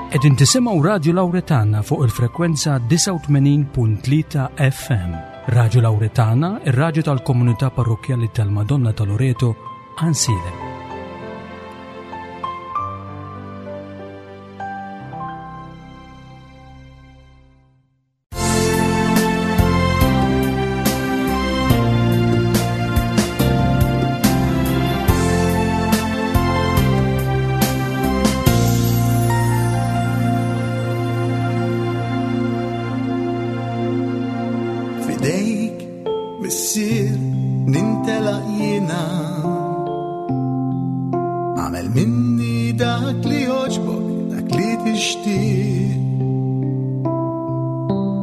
Qegħdin tisimgħu Radju Lawretana fuq il-frekwenza 89.3 FM. Radju Lawretana, ir-radju tal-komunità parrokkjali tal-Madonna ta' Loreto, Ansilem. Fidejk, missier, nintelaq jiena. Għamel minni dak li joġbok, dak li tixtieq.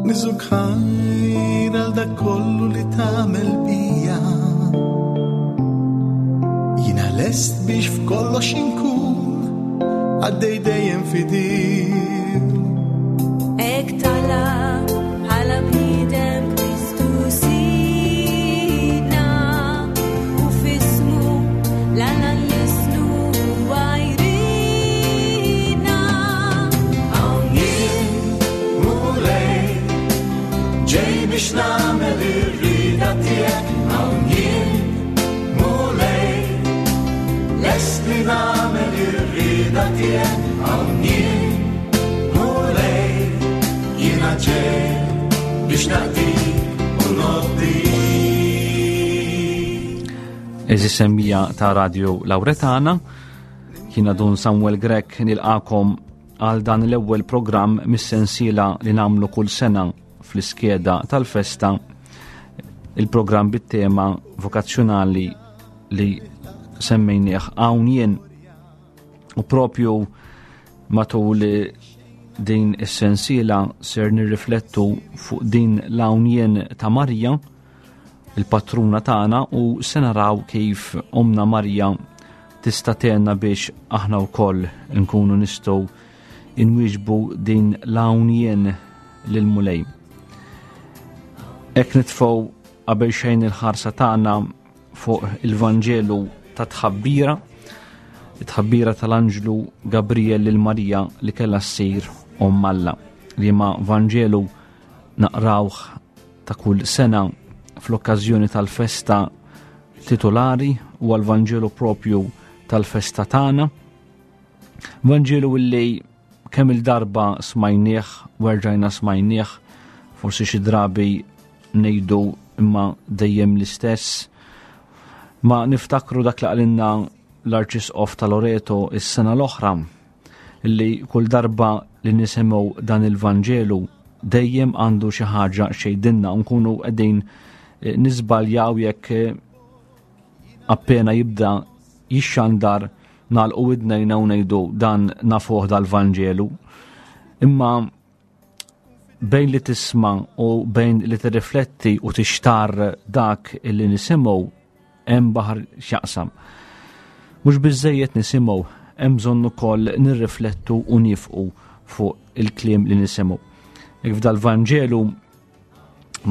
Niżuk ħajr għal dak kollu li tagħmel bija. Jiena lest biex f'kollox inkun għaddej dejjem fidil. Ek tala bħala bniedem Kristu sidna u fismu l-Alla nlisnu huwa jridna. Hawn jien, Mulej, ġej biex nagħmel ir-rieda tiegħek. Hawn jien, Mulej, lest li nagħmel ir-rieda tiegħek. Hawn jien, Mulej, jiena ġej biex naqdik u nobdik. Eżis semmija ta' Radio Lauretana, jiena Dun Samuel Grech nilqakom għal dan l-ewwel programm mis-sensiela li nagħmlu kull sena fl-iskeda tal-festa, il-programm bit-tema vokazzjonali li semmejnieh hawn jien. U propju matul din is-sensiela ser nirriflettu fuq din l-hawn jien ta' Marija, il-patruna tagħna, u se naraw kif Omna Marija tista' tgħinna biex aħna wkoll nkunu nistgħu inwieġbu din l-hawn jien lill-Mulej. Hekk nitfgħu qabel xejn il-ħarsa tagħna fuq il-Vanġelu ta' tħabbira, it-tħabbira tal-Anġlu Gabriel lil Marija li kellha ssir Omm Alla, li ma Vanġelu naqrawh ta' kull sena fl-okkażjoni tal-festa titolari u għal-Vanġelu propju tal-festa tagħna. Vanġelu illi kemm il-darba smajnieh u erġajna smajnieh, forsi xi drabi ngħidu imma dejjem l-istess. Ma niftakru dak li qalilna l-Arċisqof ta' Loreto is-sena l-oħra, li kull darba li nisimgħu dan il-Vanġelu dejjem għandu xi ħaġa xejdinna, u nkunu qegħdin niżbaljaw jekk appena jibda jixxandar nagħlqu widnejna u ngħidu dan nafuh dal-Vanġelu. Imma bejn li tisma' u bejn li tirrifletti u tixtar dak li nisimgħu hemm baħar x'jaqsam. Mhux biżżejjed nisimgħu, hemm bżonn ukoll nirriflettu u nifqu fuq il-kliem li nisimgħu. Jekk f'dal-Vanġelu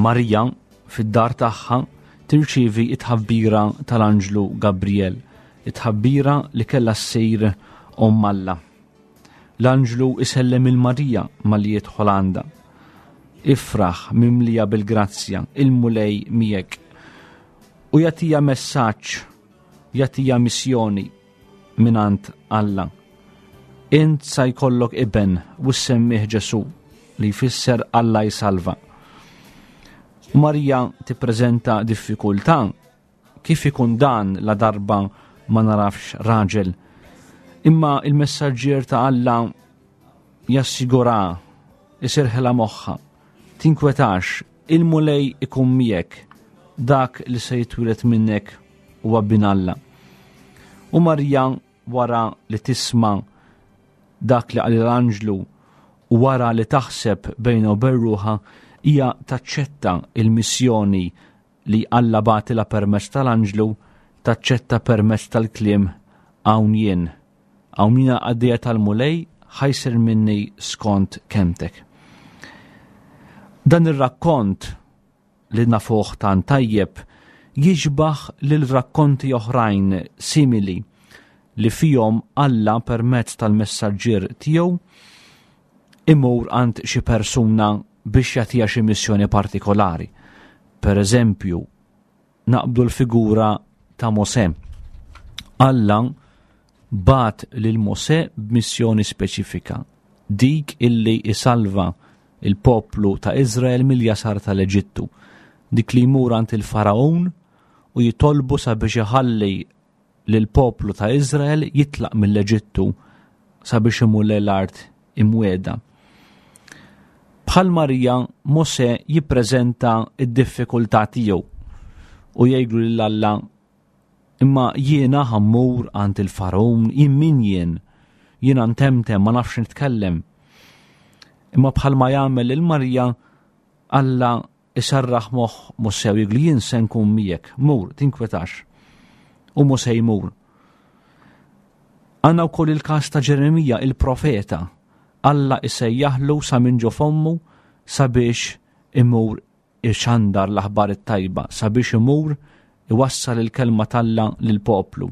Marija fid-dar tagħha tirċievi it-tħabbira tal-Anġlu Gabriel, it-tħabbira li kellha ssir Omm Alla. L-Anġlu isellem il Marija malli jidħol għandha. Ifraħ mimlija bil-grazzja, il-Mulej miegħek. U jagħtiha messaġġ, jagħtiha missjoni mingħand Alla. Int sa jkollok iben u ssemmih Ġesu, li jfisser Alla jsalva. U Marija tippreżenta diffikultà, kif ikun dan la darba ma narafx raġel. Imma il-messaġġier ta' Alla jassigura, isirħela moħħa, tinkwetax, il-Mulej ikun miegħek, dak li se jitwieled minnek huwa bin Alla. U Marija wara li tisma' dak li qal l-anġlu u wara li taħseb bejna u bejn ruħha, hija taċċetta il-missjoni li Alla bagħtilha permezz tal-anġlu, taċċetta permezz tal-kliem hawn jien. Hawn jiena qaddejja tal-Mulej, ħajsir minni skont kemtek. Dan ir-rakkont li nafuh tant tajjeb jixbaħ lil rakkonti oħrajn simili li fihom Alla permezz tal-messaġġier tiegħu imur għand xi persuna biex jagħtiha xi missjoni partikolari. Per eżempju, naqbdu l-figura ta' Mosè. Alla bagħat lil Mosè b'missjoni speċifika, dik illi isalva il-poplu ta' Izrael mill-jasar tal-Eġittu, dik li jmur għand il-Faraon u jitolbu sabiex iħalli lill-poplu ta' Izrael jitlaq mill-Eġittu sabiex imur lejn l-art imwiegħda. Bħal Marija, Mosè jippreżenta d-diffikultà tiegħu u jgħidlu lil Alla imma jiena ħammur għand il-Fargħun, jien min jien? Jiena ntemtem ma nafx nitkellem. Imma bħalma jagħmel lil Marija, Alla iserraħ moħħ Mosè u jgħidlu jien se nkun miegħek, mur, tinkwetax. U Mosè jmur. Għandna wkoll il-każ ta' Ġeremija, il-profeta. Alla isejjaħlu sa minn ġo fommu sabiex imur ixandar l-aħbar it-tajba, sabiex imur iwassal il-kelma t'Alla lill-poplu.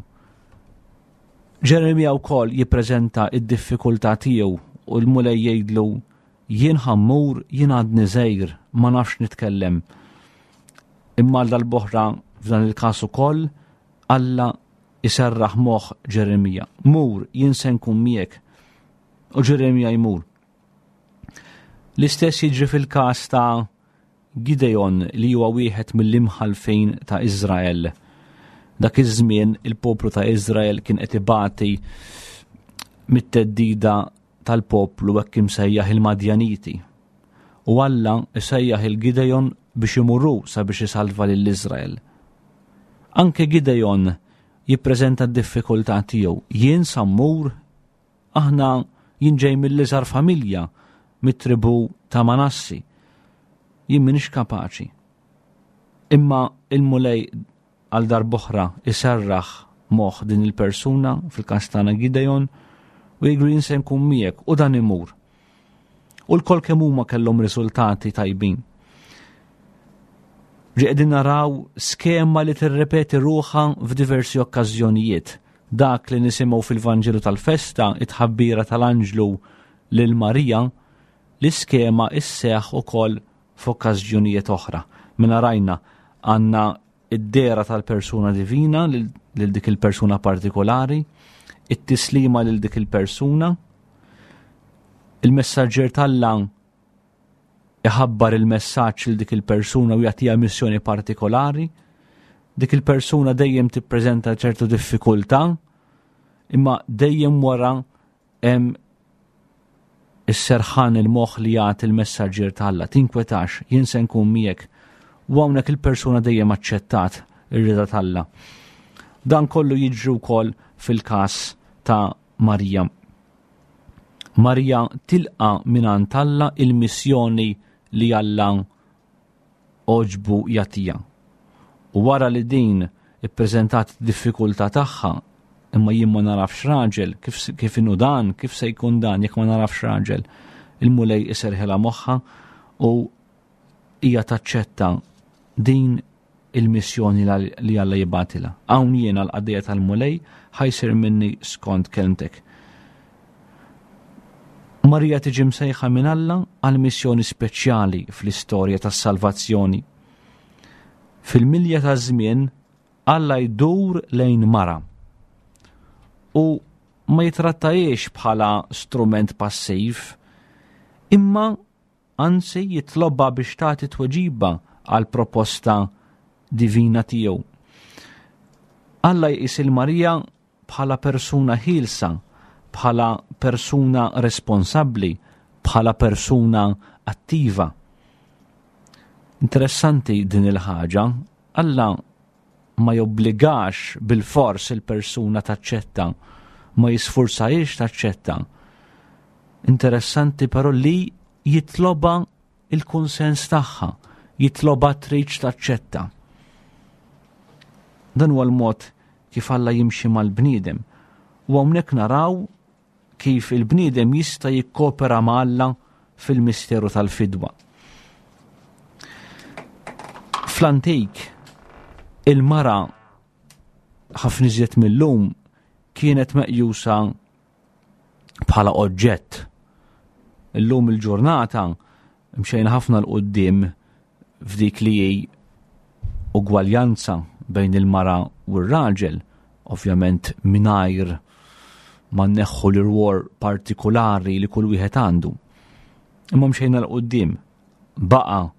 Ġeremija wkoll jippreżenta id-diffikultà tiegħu u l-Mulej jgħidlu Jien ħa mmur, jien għadni żgħir, ma nafx nitkellem. Imma għal dal-boħra f'dan il-każ ukoll, Alla iserraħ moħħ Ġeremija. Mur, jien se nkun miegħek. U Ġeremija jmur. L-istess jiġri fil-każ ta' Gideon li huwa wieħed mill-imħallfin ta' Iżrael. Dak iż-żmien il-poplu ta' Iżrael kien qed ibati mit-teddida tal-poplu hekk imsejjaħ il-Madjaniti. U Alla isejjaħ il-Gideon biex imur hu sabiex isalva lil Iżrael. Anke Gideon jippreżenta d-diffikultà tiegħu. Jien sa mmur, aħna jien ġej mill-iżgħar familja mit-tribù ta' Manassi. Jien m'iniex kapaċi. Imma il-Mulej għal darb'oħra iserraħ moħħ din il-persuna, fil-każ tagħna Gideon, u jgħidlu jien se nkun miegħek u dan imur. U l-kol kemm huma kellhom riżultati tajbin. Ġi qegħdin naraw skema li tirrepeti ruħha f'diversi okkażjonijiet. Dak li nisimgħu fil-Vanġelu tal-festa, it-tħabbira tal-anġlu lil Marija, l-iskema isseħ ukoll f'okkażjonijiet oħra. Mela rajna għandna id-dehra tal-persuna divina lil dik il-persuna partikolari, it-tislima lil dik il-persuna, il-messaġġer t'Alla iħabbar il-messaġġ lil dik il-persuna u jagħtiha missjoni partikolari, dik il-persuna dejjem tippreżenta ċertu diffikultà, imma dejjem wara Hemm is-serħan il-moħħ li jagħti l-messaġġier ta' Alla, tinkwetax, jien se nkun miegħek. U hawnhekk il-persuna dejjem aċċettat ir-rieda t'Alla. Dan kollu jiġri wkoll fil-każ ta' Marija. Marija tilqa mingħand Alla il-missjoni li Alla għoġbu jagħtiha. U wara li din ippreżentat id-diffikultà tagħha, imma jien ma narafx raġel, kif, kif inhu dan, kif se jkun dan jekk ma narafx raġel, il-Mulej iserħilha moħħha u hija taċċetta din il-missjoni li Alla jibgħatilha. Hawn jiena l-qaddejja tal-Mulej ħajsir minni skont kelmtek. Marija tiġi msejħa minn Alla għal missjoni speċjali fl-istorja tas-salvazzjoni. Fil-milja taż-żmien Alla jdur lejn mara u ma jitrattajiex bħala strument passiv, imma anzi jitlobha biex tagħti tweġiba għal proposta divina tiegħu. Alla jqis il-Marija bħala persuna ħielsa, bħala persuna responsabbli, bħala persuna attiva. Interessanti din il-ħaġa, Alla ma jobbligax bil-fors il-persuna taċċetta, ma jisfurzahiex taċċetta. Interessanti però li jitloba il-kunsens tagħha, jitloba tridx taċċetta. Dan huwa l-mod kif Alla jimxi mal-bniedem. U hawnhekk naraw kif il-bniedem jista' jikkopera ma' Alla fil-misteru tal-fidwa. Fl-antik, il-mara ħafna iżjed mill-lum kienet meqjusa bħala oġġett. Illum il-ġurnata mxejna ħafna 'l quddiem f'dik li hi ugwaljanza bejn il-mara u r-raġel, ovvjament mingħajr ma nneħħu l-irwol partikulari li kull wieħed għandu. Imma mxejna 'l quddiem. Baqa'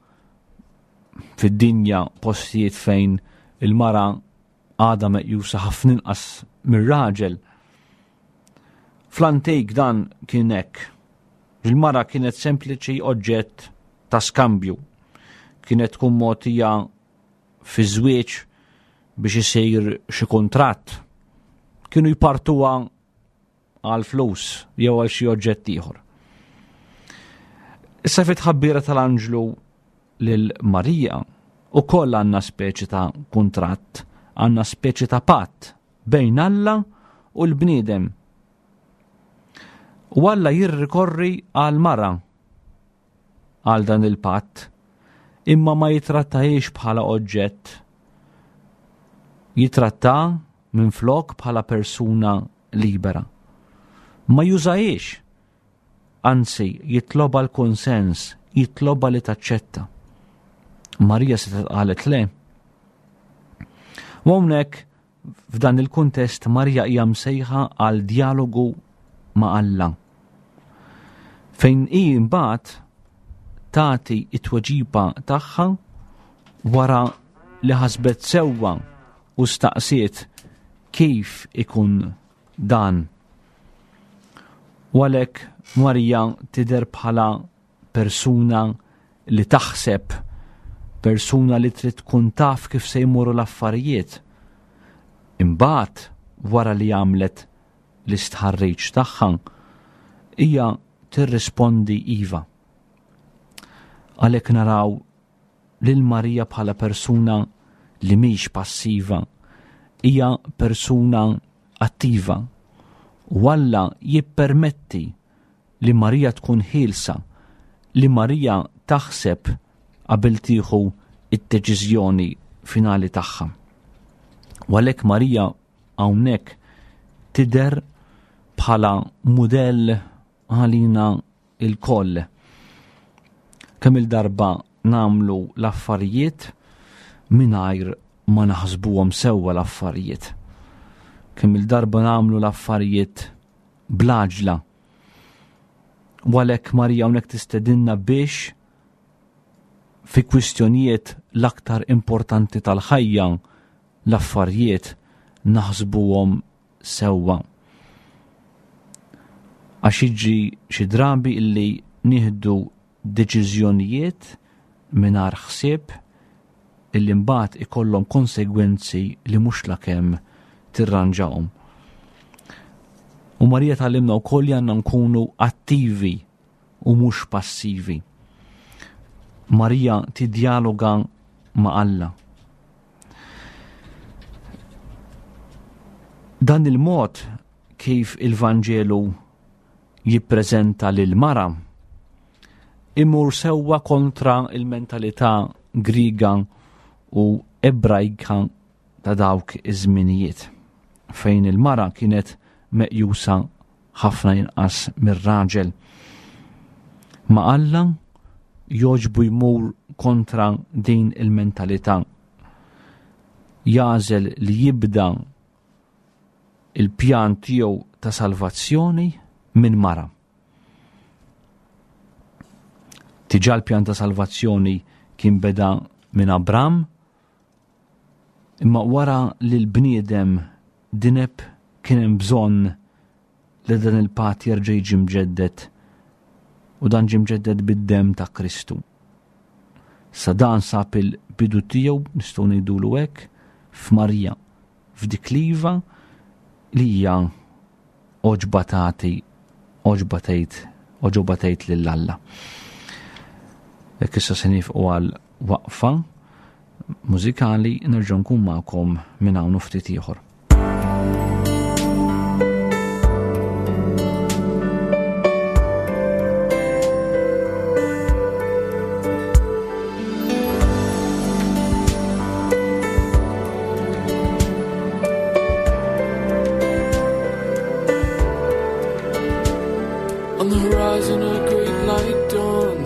fid-dinja postijiet fejn il-mara għadha meqjusa ħafna inqas mir-raġel. Fl-antik dan kien hekk. Il-mara kienet sempliċi oġġett ta' skambju. Kienet tkun mogħtija fi żwieġ biex isir xi kuntratt. Kienu jpartuha għal flus jew għal xi oġġett ieħor. Issa fit tħabbira tal-anġlu lil Marija ukoll għandna speċi ta' kuntratt, għandna speċi ta' patt bejn Alla u l-bniedem. U Alla jirrikorri għal mara għal dan il-patt, imma ma jitrattahiex bħala oġġett. Jitratta minflok bħala persuna libera. Ma jużahiex, anzi jitlobha l-kunsens, jitlobha li taċċetta. Marija setgħet qalet le. U hawnhekk f'dan il-kuntest Marija hija msejħa għal djalogu ma' Alla. Fejn hi mbagħad tagħti t-tweġiba tagħha wara li ħasbet sewwa u staqsiet kif ikun dan. U għalhekk Marija tidher bħala persuna li taħseb, persuna li trid tkun taf kif se jmorru l-affarijiet. Imbagħad wara li għamlet l-istħarriġ tagħha, hija tirrispondi iva. Għalhekk naraw lil Marija bħala persuna li mhix passiva, hija persuna attiva. U Alla jippermetti li Marija tkun ħielsa, li Marija taħseb qabel tieħu id-deċiżjoni finali tagħha. U għalhekk Marija hawnhekk tidher bħala mudell għalina ilkoll. Kemm il-darba nagħmlu l-affarijiet mingħajr ma naħsbuhom sewwa l-affarijiet. Kemm il-darba nagħmlu l-affarijiet bl-għaġla. U għalhekk Marija hawnhekk tistedinna biex fi kwistjonijiet l-aktar importanti tal-ħajja l-affarijiet naħsbuhom sewwa. Għax jiġri xi drabi illi nieħdu deċiżjonijiet mingħajr ħsieb illi mbagħad ikollhom konsegwenzi li mhux lakemm tirranġahom. U Marija tgħallimna wkoll li għandna nkunu attivi u mhux passivi. Marija tidjaloga ma' Alla. Dan il-mod kif il-Vanġelu jippreżenta lil mara imur sewwa kontra il-mentalità Griega u Ebrajka ta' dawk iż-żminijiet fejn il-mara kienet meqjusa ħafna inqas mir-raġel. Ma' Alla jogħġbu jmur kontra din il-mentalità. Jagħżel li jibda il-pjan tiegħu ta' salvazzjoni minn mara. Diġà l-pjan ta' salvazzjoni kien beda minn Abram, imma wara li l-bniedem dineb kien hemm bżonn li dan il-patt jerġa' jiġi mġedded u dan ġie mġedded bid-demm ta' Kristu. Sa dan sab il-bidu tiegħu nistgħu ngħidulu hekk f'Marija, f'dik l-iva li hija għoġba tagħti għoġba tgħid għoġobha tgħid lil Alla. Hekk issa se nifqu għal waqfa mużikali nerġa' nkun magħkom minn hawn ftit ieħor. On the horizon a great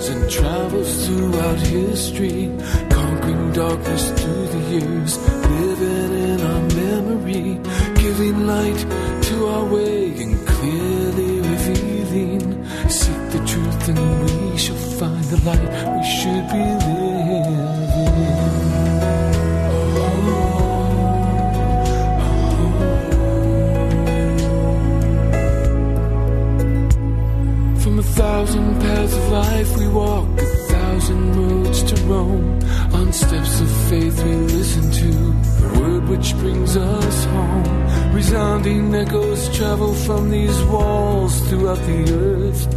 lives and travels throughout history, conquering darkness through the years, living in our memory, giving light to our way and clearly revealing. Seek the truth and we shall find the light we should be living. From 1,000 paths of life we walk, 1,000 roads to roam. On steps of faith we listen to the word which brings us home. Resounding echoes travel from these walls throughout the earth.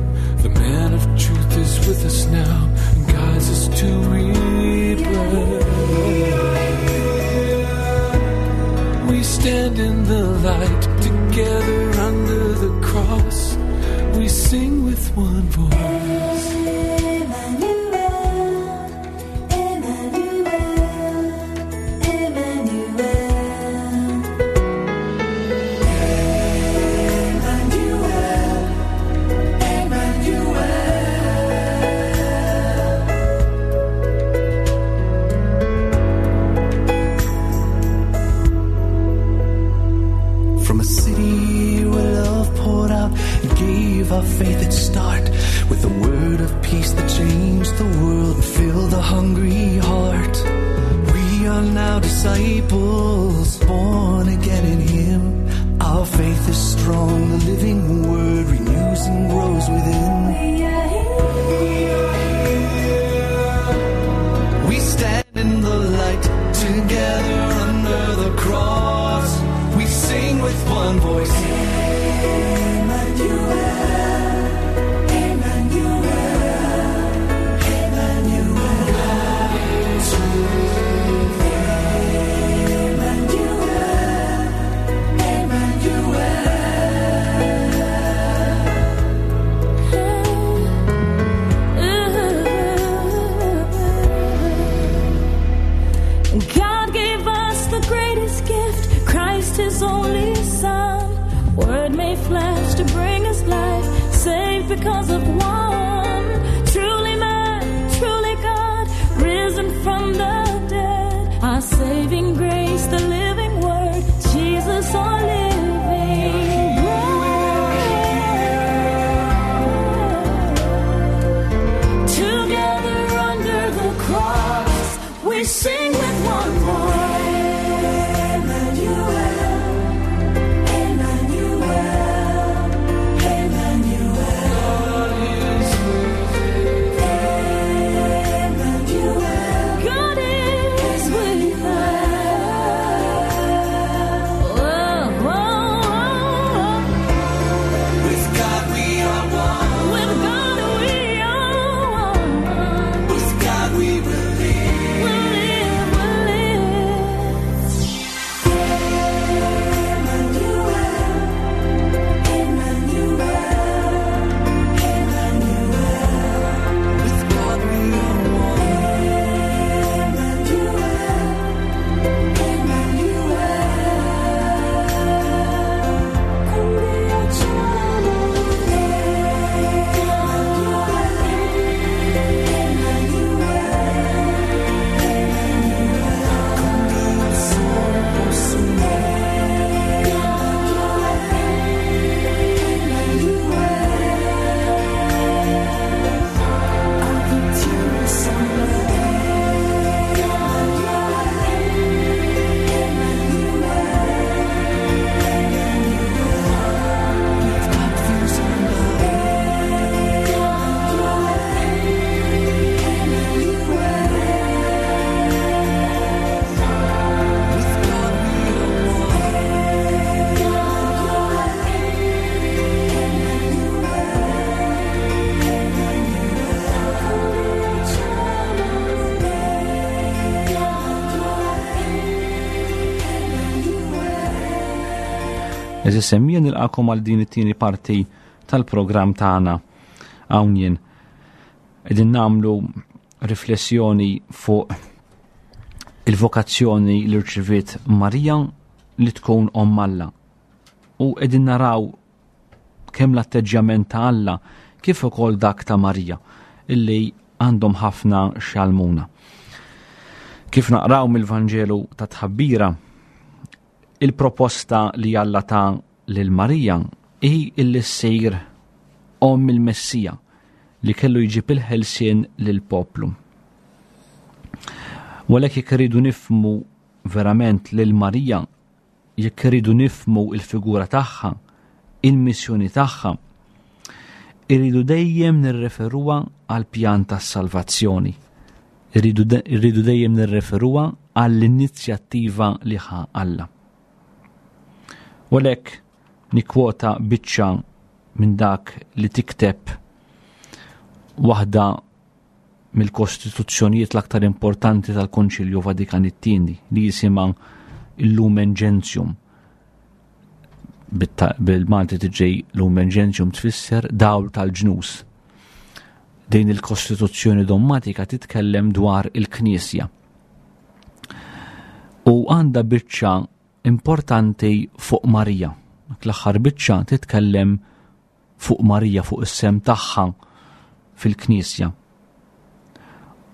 The man of truth is with us now and guides us to rebirth. We stand in the light together under the cross. We sing with one voice. Emmanuel, Emmanuel, Emmanuel. Emmanuel, Emmanuel. From a city where love poured out and gave our faith its start, with a word of peace that changed the world and filled the hungry heart. We are now disciples, born again in Him. Our faith is strong, the living word renews and grows within. We are here. We stand in the light together under the cross. We sing with one voice. Emmanuel, Emmanuel, Emmanuel. Emmanuel, Emmanuel. God gave us the greatest gift, Christ his only Son. Word made flesh to bring us life, saved because of one. Truly man, truly God, risen from the dead. Our saving grace, the living word, Jesus our living bread. Together under the cross, we sing with one voice. Emmanuel, Emmanuel, Emmanuel. Emmanuel, God is with us. Oh, oh, oh. With God we are one. With God we are one. With God we will live. We'll live, we'll live. With God we are one. With God we are one. Eżis semmija nilqakom għal din it-tieni parti tal-programm tagħna hawn jien. Qegħdin nagħmlu riflessjoni fuq il-vokazzjoni li rċiviet Marija li tkun omm Alla. U qegħdin naraw kemm l-atteġġjament ta' Alla kif ukoll dak ta' Marija. illi għandhom ħafna x'jgħallmuna. Kif naqraw mill-Vanġelu ta' tħabbira, il-proposta li Alla ta lil Marija hi illi ssir omm il-Messija li kellu jġib il-ħelsien lill-poplu. U għalhekk jekk irridu nifhmu verament lil Marija, jekk irridu nifhmu il-figura tagħha, il-missjoni tagħha, irridu dejjem nirreferuha għal pjan tas-salvazzjoni. Irridu dejjem nirreferuha għall-inizjattiva li ħa Alla. U għalhekk nikkwota biċċa minn dak li tikteb waħda mill-kostituzzjonijiet l-aktar importanti tal-Konċilju Vatikan it-Tieni li jisimha il-Lumen Gentium. Bil-Malti tiġi Lumen Gentium tfisser dawl tal-ġnus. Din il-kostituzzjoni dommatika titkellem dwar il-Knisja. U għandha biċċa importanti fuq Marija. L-aħħar biċċa titkellem fuq Marija, fuq is-sem tagħha fil-Knisja.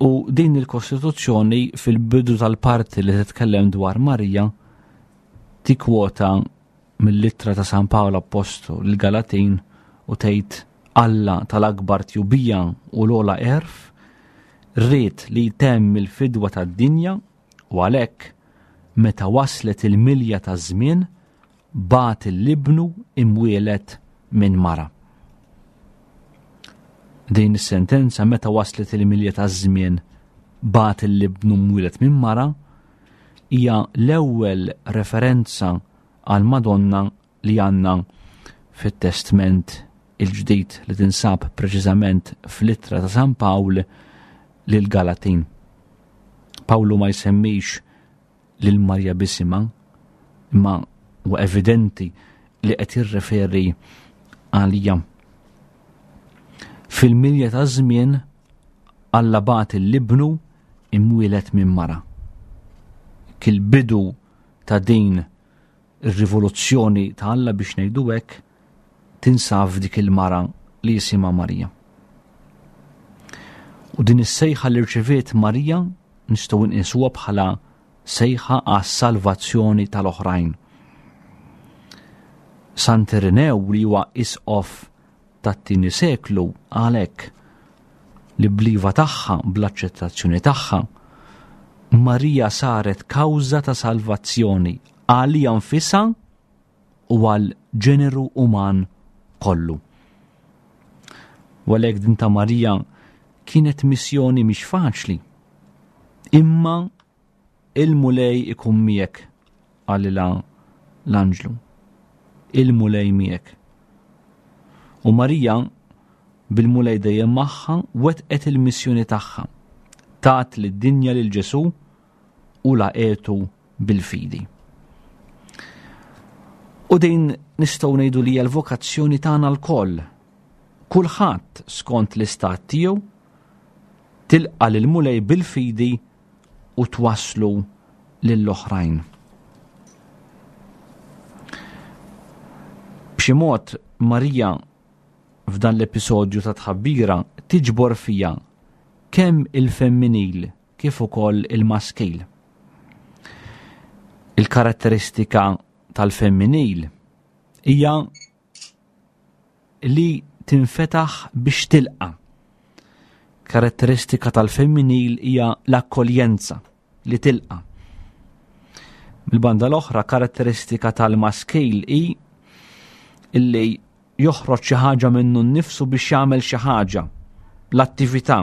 U din il-Kostituzzjoni fil-bidu tal-parti li titkellem dwar Marija tikkwota mill-ittra ta' San Pawl Appostlu lill-Galatin u tgħid Alla tal-akbar tjubija u l-ogħla għerf ried li jtemm il-fidwa tad-dinja u għalhekk meta waslet il-milja taż-żmien bagħat 'l Ibnu imwieled minn mara. Din is-sentenza meta waslet il-milja taż-żmien bagħat 'l Ibnu mwieled minn mara hija l-ewwel referenza għal Madonna li għandna fit-Testment il-Ġdid li tinsab preċiżament fl-ittra ta' San Pawl lil Galatin. Pawlu ma jsemmix lil Marja b'isimha, imma huwa evidenti li qed jirreferi għalija. Fil-milja ta' żmien Alla bagħat l-ibnu imwieled minn mara. Kil-bidu ta' din ir-rivoluzzjoni ta' Alla biex ngħidu hekk tinsab f'dik il-mara li jisimha Marija. U din is-sejħa li rċeviet Marija nistgħu nqisuha bħala sejħa għas-salvazzjoni tal-oħrajn. Sant Irinew li huwa isqof tat-tieni seklu għalhekk li bliva tagħha, bl-aċċettazzjoni tagħha, Marija saret kawża ta' salvazzjoni għalija nfisha u għal ġeneru uman kollu. U għalhekk din ta' Marija kienet missjoni mhix faċli. Imma il-Mulej ikun miegħek qalilha l-anġlu. Il-Mulej miegħek. U Marija bil-Mulej dejjem magħha wetqet il-missjoni tagħha. Tat lid-dinja lil Ġesù u laqgħetu bil-fidi. U din nistgħu ngħidu li hija l-vokazzjoni tagħna lkoll. Kulħadd skont l-istat tiegħu tilqa' lil Mulej bil-fidi u twasslu lill-oħrajn. B'xi mod Marija f'dan l-episodju ta' tħabbira tiġbor fija kemm il-femminil kif ukoll il-maskil. Il-karatteristika tal-femminil hija li tinfetaħ biex tilqa. Karatteristika tal-femminil hija l-akkoljenza li tilqa. Mill-banda l-oħra karatteristika tal-maskil hi illi joħroġ xi ħaġa minnu nnifsu biex jagħmel xi ħaġa, l-attività.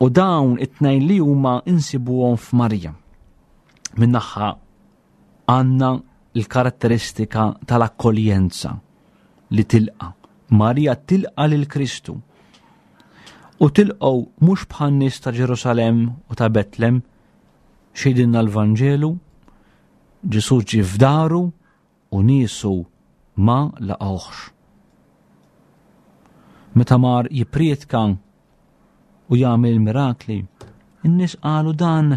U dawn it-tnejn li huma insibuhom f'Marija. Min-naħa għandna l-karatteristika tal-akkoljenza li tilqa. Marija tilqa lil Kristu. U tilqgħu mhux bħal nies ta' Ġerusalemm u ta' Betlem, xejdinna l-Vanġelu, Ġesù ġie f'daru u niesu ma laqgħuhx. Meta mar jipprietka u jagħmel mirakli, in-nies qalu dan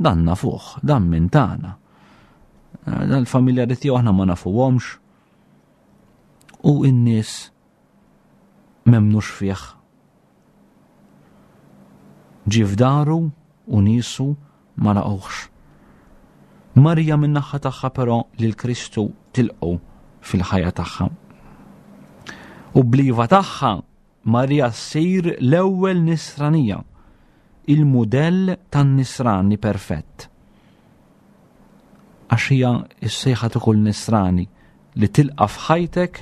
dan nafuh, dan minn tagħna. Eh, dan il-familjari tiegħu aħna ma nafuhomx. U n-nies memnux fih. Ġie f'daru u niesu ma laqgħuhx. Marija min-naħa tagħha però lil Kristu tilqgħu fil-ħajja tagħha. U bliva tagħha Marija ssir l-ewwel nisranija, il-mudell tan-nisrani perfett. Għax hija s-sejħa ta' kull nisrani li tilqa' f'ħajtek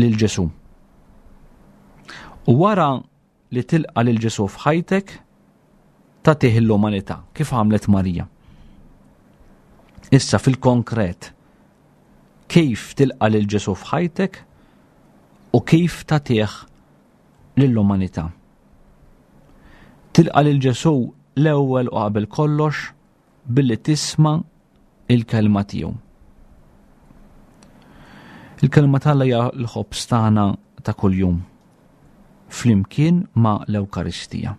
lil Ġesù. U wara li tilqa' lil Ġesù f'ħajtek, tagħtih l-umanità, kif għamlet Marija. Issa fil-konkret, kif tilqa' lil Ġesù f'ħajtek u kif tagħtih lill-umanità. Tilqa' lil Ġesù l-ewwel u qabel kollox billi tisma' il-kelma tiegħu. Il-kelma t'Alla hija l-ħobż tagħna ta' kuljum flimkien ma' l-Ewkaristija.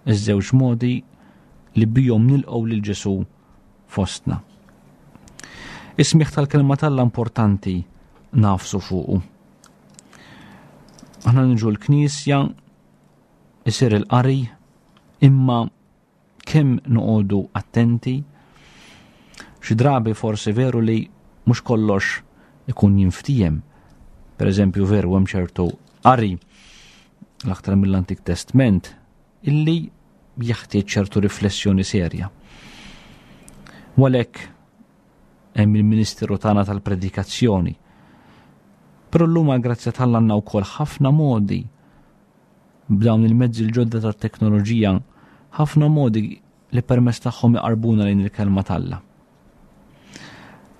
Iż-żewġ modi li bihom nilqgħu lil Ġesù fostna. Is-smigħ tal-kelma t'Alla importanti nafsu fuqu. Aħna niġu l-knisja, isir il-qari, imma Kemm noqogħdu attenti? Xi drabi forsi veru li mhux kollox ikun jinftiehem. Per eżempju veru hemm ċertu qari l-aktar mill-Antik Testment illi jeħtieġ ċertu riflessjoni serja. U għalhekk hemm il-ministeru tagħna tal-predikazzjoni. Però llum għall-grazzja t'Alla għandna wkoll ħafna modi B'dawn il-mezzi l-ġodda tat-teknoloġija, ħafna modi li permezz tagħhom iqarbuna lejn il-kelma t'Alla.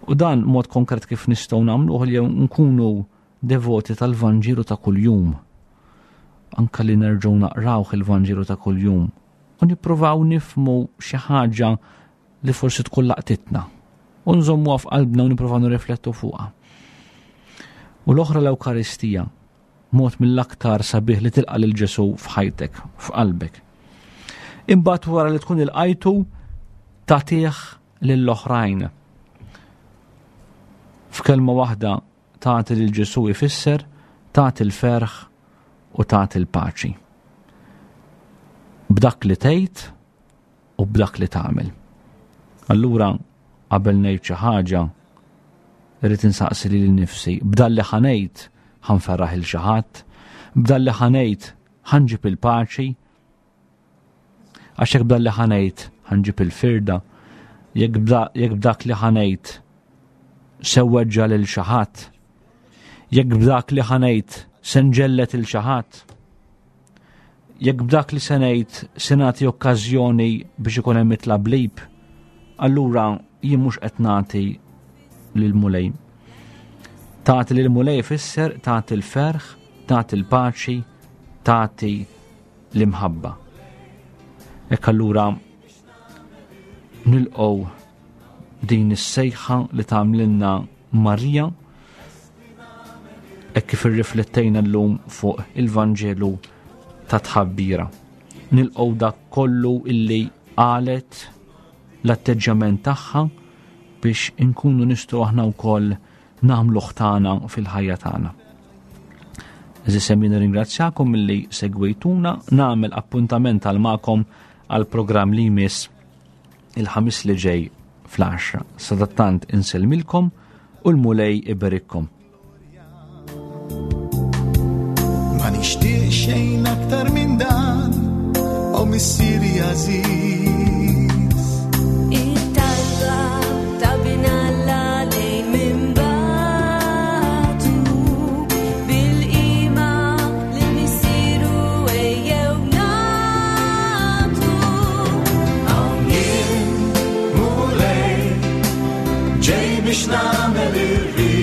U dan mod konkret kif nistgħu nagħmluh li nkunu devoti tal-Vanġelu ta' kuljum. Anka li nerġgħu naqrawh il-Vanġelu ta' kuljum u nippruvaw nifmu xi ħaġa li forsi tkun laqtitna u nżommuha f'qalbna u nippruvaw nirriflettu fuqha. U l-oħra l-Ewkaristija, Mod mill-aktar sabiħ li tilqa' lil Ġesù f'ħajtek, f'qalbek. Imbagħad wara li tkun ilqajtu tagħtih lill-oħrajn. F'kelma waħda tagħti lil Ġesù ifisser tagħti l-ferħ u tagħti l-paċi. B'dak li tgħid u b'dak li tagħmel. Allura qabel ngħid xi ħaġa, irrid insaqsi lili nnifsi, b'dan li ħa ngħid ħa nferraħ il xi ħadd, b'dan li ħa ngħid ħa nġib il-paċi, għax jekk b'dan li ħa ngħid ħa nġib il-firda, jekk b'dak li ħa ngħid se weġġa' lil xi ħadd, jekk b'dak li ħa ngħid se nġellet il xi ħadd, Jekk b'dak li se ngħid se nagħti okkażjoni biex ikun hemm it-tlablib, allura jien mhux qed nagħti lill-Mulej. Tagħti lill-Mulej ifisser tagħti l-ferħ, tagħti l-paċi, tagħti l-imħabba. Hekk allura nilqgħu din is-sejħa li tagħmlilna Marija hekk kif irriflettejna llum fuq il-Vanġelu ta' tħabbira. Nilqgħu dak kollu illi qalet l-atteġġjament tagħha biex inkunu nistgħu aħna wkoll nagħmluh tagħna fil-ħajja tagħna. Eżis nirringrazzjakom milli segwejtuna, nagħmel appuntament għal magħkom għal programm li jmiss il-ħamis li ġej fl-10. Sadattant insellmilkom u l-Mulej iberikkom. Ma nixtieq xejn aktar minn dan, o missieri għażiż. It-talba ta' bin Alla lejn minn batu bil-qima lil missieru ejjew nagħtu. Hawn jien, Mulej, ġej biex nagħmel ir-rieda.